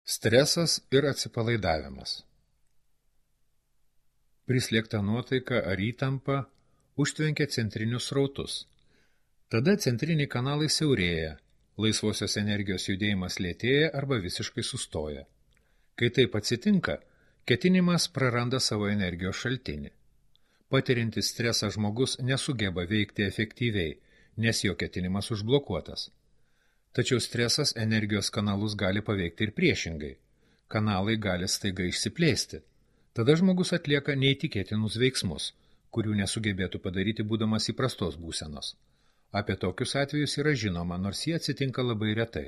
Stresas ir atsipalaidavimas. Prislėgta nuotaika ar įtampa užtvenkia centrinius srautus. Tada centriniai kanalai siaurėja, laisvosios energijos judėjimas lėtėja arba visiškai sustoja. Kai taip atsitinka, ketinimas praranda savo energijos šaltinį. Patiriantis stresą žmogus nesugeba veikti efektyviai, nes jo ketinimas užblokuotas. Tačiau stresas energijos kanalus gali paveikti ir priešingai. Kanalai gali staiga išsiplėsti. Tada žmogus atlieka neįtikėtinus veiksmus, kurių nesugebėtų padaryti būdamas įprastos būsenos. Apie tokius atvejus yra žinoma, nors jie atsitinka labai retai.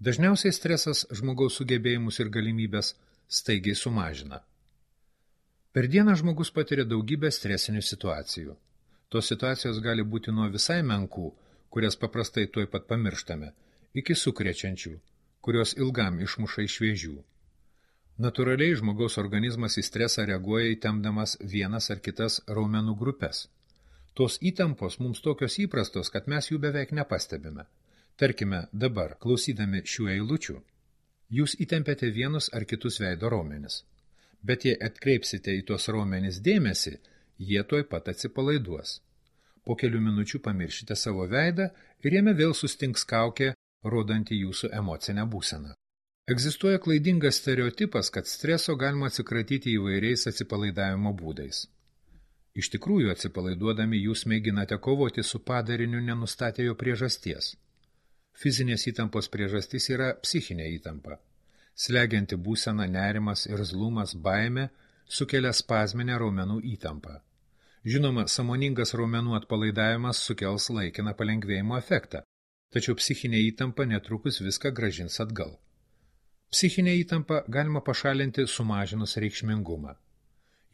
Dažniausiai stresas žmogaus sugebėjimus ir galimybės staigiai sumažina. Per dieną žmogus patiria daugybę stresinių situacijų. Tos situacijos gali būti nuo visai menkų, kurias paprastai tuoj pat pamirštame, iki sukrečiančių, kurios ilgam išmuša iš vėžių. Natūraliai žmogaus organizmas į stresą reaguoja įtempdamas vienas ar kitas raumenų grupes. Tos įtampos mums tokios įprastos, kad mes jų beveik nepastebime. Tarkime, dabar, klausydami šių eilučių, jūs įtempiate vienus ar kitus veido raumenis. Bet jei atkreipsite į tuos raumenis dėmesį, jie tuoj pat atsipalaiduos. Po kelių minučių pamiršite savo veidą ir jame vėl sustings kaukė, rodanti jūsų emocinę būseną. Egzistuoja klaidingas stereotipas, kad streso galima atsikratyti įvairiais atsipalaidavimo būdais. Iš tikrųjų, atsipalaiduodami jūs mėginate kovoti su padariniu nenustatę jo priežasties. Fizinės įtampos priežastis yra psichinė įtampa. Slegianti būsena, nerimas, irzlumas, baimė sukelia spazminę raumenų įtampą. Žinoma, sąmoningas raumenų atpalaidavimas sukels laikiną palengvėjimo efektą, tačiau psichinė įtampa netrukus viską grąžins atgal. Psichinę įtampą galima pašalinti sumažinus reikšmingumą.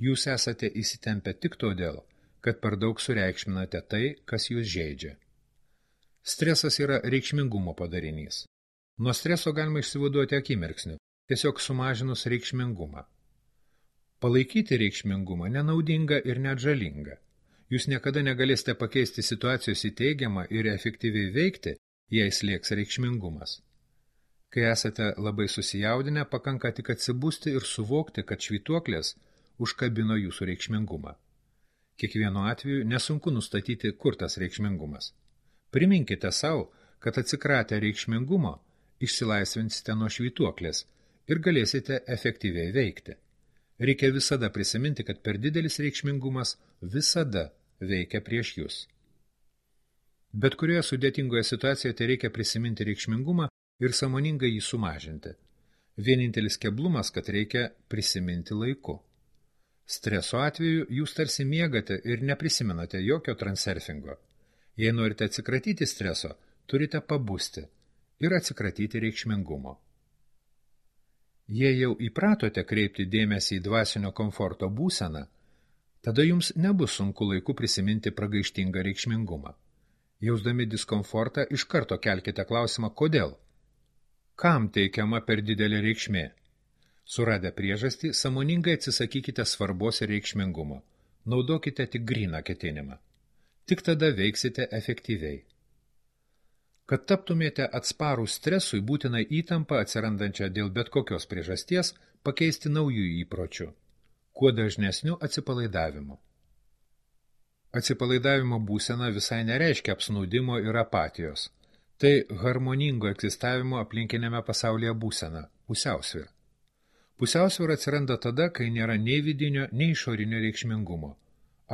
Jūs esate įsitempę tik todėl, kad per daug sureikšminate tai, kas jūs žeidžia. Stresas yra reikšmingumo padarinys. Nuo streso galima išsivaduoti akimirksniu, tiesiog sumažinus reikšmingumą. Palaikyti reikšmingumą nenaudinga ir net žalinga. Jūs niekada negalėsite pakeisti situacijos į teigiamą ir efektyviai veikti, jei slėgs reikšmingumas. Kai esate labai susijaudinę, pakanka tik atsibusti ir suvokti, kad švytuoklės užkabino jūsų reikšmingumą. Kiekvienu atveju nesunku nustatyti, kur tas reikšmingumas. Priminkite savo, kad atsikratę reikšmingumo išsilaisvinsite nuo švytuoklės ir galėsite efektyviai veikti. Reikia visada prisiminti, kad per didelis reikšmingumas visada veikia prieš jūs. Bet kurioje sudėtingoje situacijoje tai reikia prisiminti reikšmingumą ir sąmoningai jį sumažinti. Vienintelis keblumas, kad reikia prisiminti laiku. Streso atveju jūs tarsi miegate ir neprisimenate jokio transurfingo. Jei norite atsikratyti streso, turite pabusti ir atsikratyti reikšmingumo. Jei jau įpratote kreipti dėmesį į dvasinio komforto būseną, tada jums nebus sunku laiku prisiminti pragaištingą reikšmingumą. Jausdami diskomfortą, iš karto kelkite klausimą, kodėl? Kam teikiama per didelė reikšmė? Suradę priežastį, sąmoningai atsisakykite svarbos ir reikšmingumo. Naudokite tik gryną ketinimą. Tik tada veiksite efektyviai. Kad taptumėte atsparų stresui, būtina įtampą atsirandančią dėl bet kokios priežasties pakeisti naujų įpročių, kuo dažnesniu atsipalaidavimu. Atsipalaidavimo būsena visai nereiškia apsnūdimo ir apatijos. Tai harmoningo egzistavimo aplinkinėme pasaulyje būsena, pusiausvyra. Pusiausvyra atsiranda tada, kai nėra nei vidinio, nei išorinio reikšmingumo.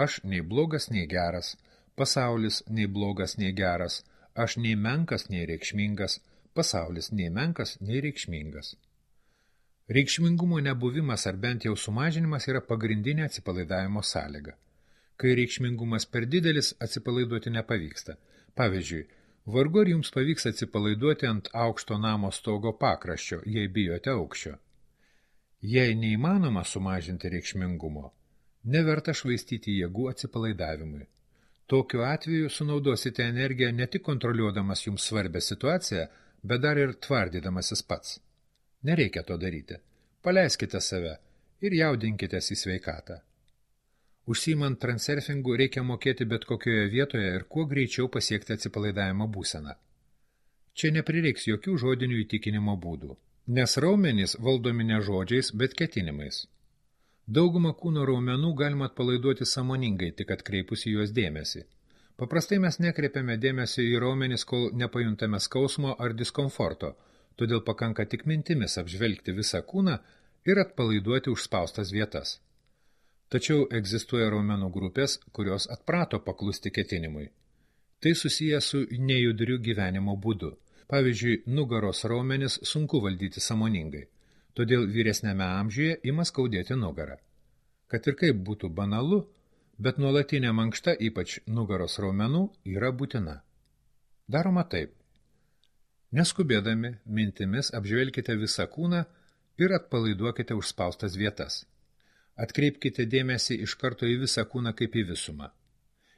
Aš nei blogas, nei geras, pasaulis nei blogas, nei geras, aš nei menkas, nei reikšmingas, pasaulis nei menkas, nei reikšmingas. Reikšmingumo nebuvimas ar bent jau sumažinimas yra pagrindinė atsipalaidavimo sąlyga. Kai reikšmingumas per didelis, atsipalaiduoti nepavyksta. Pavyzdžiui, vargu ar jums pavyks atsipalaiduoti ant aukšto namo stogo pakraščio, jei bijote aukščio. Jei neįmanoma sumažinti reikšmingumo, neverta švaistyti jėgų atsipalaidavimui. Tokiu atveju sunaudosite energiją ne tik kontroliuodamas jums svarbią situaciją, bet dar ir tvardydamasis pats. Nereikia to daryti. Paleiskite save ir jaudinkitės į sveikatą. Užsiimant transurfingu reikia mokėti bet kokioje vietoje ir kuo greičiau pasiekti atsipalaidavimo būseną. Čia neprireiks jokių žodinių įtikinimo būdų. Nes raumenys valdomi ne žodžiais, bet ketinimais. Daugumą kūno raumenų galima atpalaiduoti sąmoningai, tik atkreipus į juos dėmesį. Paprastai mes nekreipiame dėmesio į raumenis, kol nepajuntame skausmo ar diskomforto, todėl pakanka tik mintimis apžvelgti visą kūną ir atpalaiduoti užspaustas vietas. Tačiau egzistuoja raumenų grupės, kurios atprato paklusti ketinimui. Tai susiję su nejudriu gyvenimo būdu. Pavyzdžiui, nugaros raumenis sunku valdyti sąmoningai, todėl vyresniame amžiuje ima skaudėti nugarą. Kad ir kaip būtų banalu, bet nuolatinė mankšta, ypač nugaros raumenų, yra būtina. Daroma taip. Neskubėdami, mintimis apžvelkite visą kūną ir atpalaiduokite užspaustas vietas. Atkreipkite dėmesį iš karto į visą kūną kaip į visumą.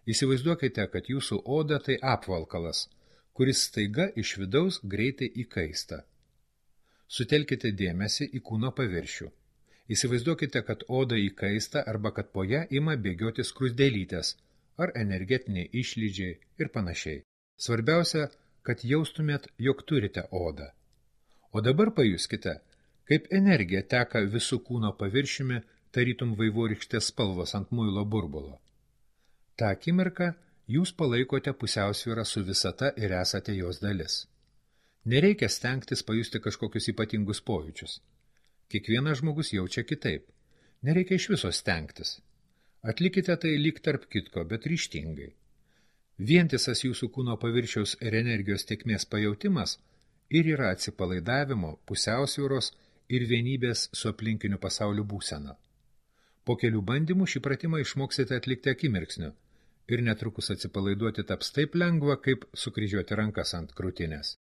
Įsivaizduokite, kad jūsų oda tai apvalkalas, kuris staiga iš vidaus greitai įkaista. Sutelkite dėmesį į kūno paviršių. Įsivaizduokite, kad oda įkaista arba kad po ją ima bėgioti skruzdėlytės ar energetiniai išlydžiai ir panašiai. Svarbiausia, kad jaustumėt, jog turite odą. O dabar pajuskite, kaip energija teka visų kūno paviršiumi, tarytum vaivorykštės spalvos ant muilo burbulo. Ta akimirka jūs palaikote pusiausvyrą su visata ir esate jos dalis. Nereikia stengtis pajusti kažkokius ypatingus pojūčius. Kiekvienas žmogus jaučia kitaip. Nereikia iš viso stengtis. Atlikite tai lyg tarp kitko, bet ryžtingai. Vientisas jūsų kūno paviršiaus ir energijos tėkmės pajautimas ir yra atsipalaidavimo, pusiausvyros ir vienybės su aplinkiniu pasauliu būsena. Po kelių bandymų šį pratimą išmoksite atlikti akimirksniu ir netrukus atsipalaiduoti taps taip lengva, kaip sukryžiuoti rankas ant krūtinės.